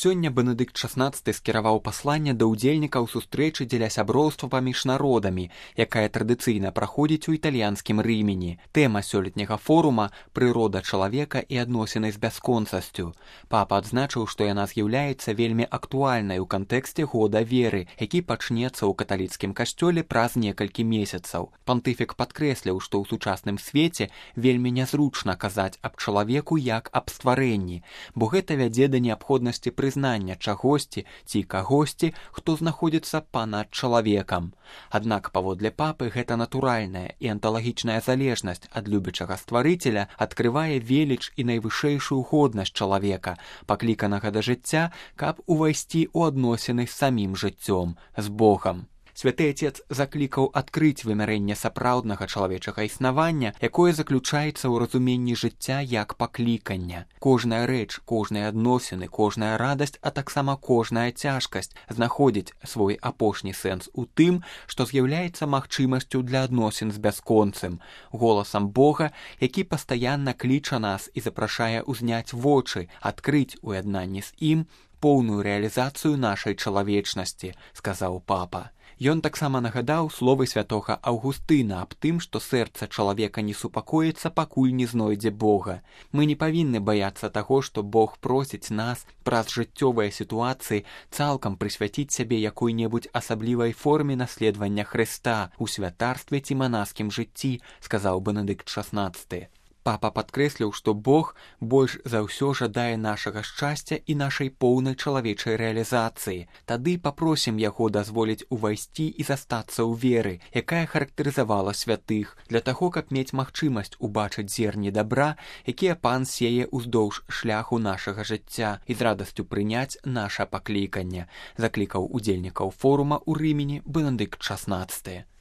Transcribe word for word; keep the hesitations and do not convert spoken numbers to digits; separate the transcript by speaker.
Speaker 1: Сёння Бенедыкт шаснаццаты скіраваў пасланне да ўдзельнікаў сустрэчы дзеля сяброўства паміж народамі, якая традыцыйна праходзіць у італьянскім Рымені. Тэма сёлетняга форума «Прырода чалавека і адносіны з бясконцасцю». Папа адзначыў, што яна з'яўляецца вельмі актуальнай у кантэксце года веры, які пачнецца ў каталіцкім касцёле праз некалькі месяцаў. Пантыфік падкрэсліў, што ў сучасным свеце вельмі нязручна казаць аб чалавеку як аб стварэнні, бо гэта вядзе да неабходнасці прызнання чагосьці ці кагосьці, хто знаходзіцца панад чалавекам. Аднак, паводле папы, гэта натуральная і анталагічная залежнасць ад любячага стварыцеля адкрывае веліч і найвышэйшую годнасць чалавека, пакліканага да жыцця, каб увайсці ў адносіны з самім жыццём, з Богам. Святы Отец заклікаў адкрыць вымярэнне сапраўднага чалавечага існавання, якое заключаецца ў разуменні жыцця як паклікання. Кожная рэч, кожныя адносіны, кожная радасць, а таксама кожная цяжкасць знаходзіць свой апошні сэнс у тым, што з'яўляецца магчымасцю для адносін з бясконцым, голасам Бога, які пастаянна кліча нас і запрашае ўзняць вочы, адкрыць у яднанні з ім поўную рэалізацыю нашай чалавечнасці, сказаў папа. Ён таксама нагадаў словы святога Аўгустына аб тым, што сэрца чалавека не супакоіцца, пакуль не знойдзе Бога. Мы не павінны баяцца таго, што Бог просіць нас праз жыццёвыя сітуацыі цалкам прысвяціць сябе якой-небудзь асаблівай форме наследавання Хрыста ў святарстве ці манаскім жыцці, сказаў Бенедыкт шаснаццаты. Папа падкрэсліў, што Бог больш за ўсё жадае нашага шчасця і нашай поўнай чалавечай рэалізацыі. Тады папросім яго дазволіць увайсці і застацца ў веры, якая характарызавала святых, для таго, каб мець магчымасць убачыць зерні дабра, якія пан сее ўздоўж шляху нашага жыцця, і з радасцю прыняць наша пакліканне, заклікаў удзельнікаў форума ў Рымені Бенедыкт шаснаццаты.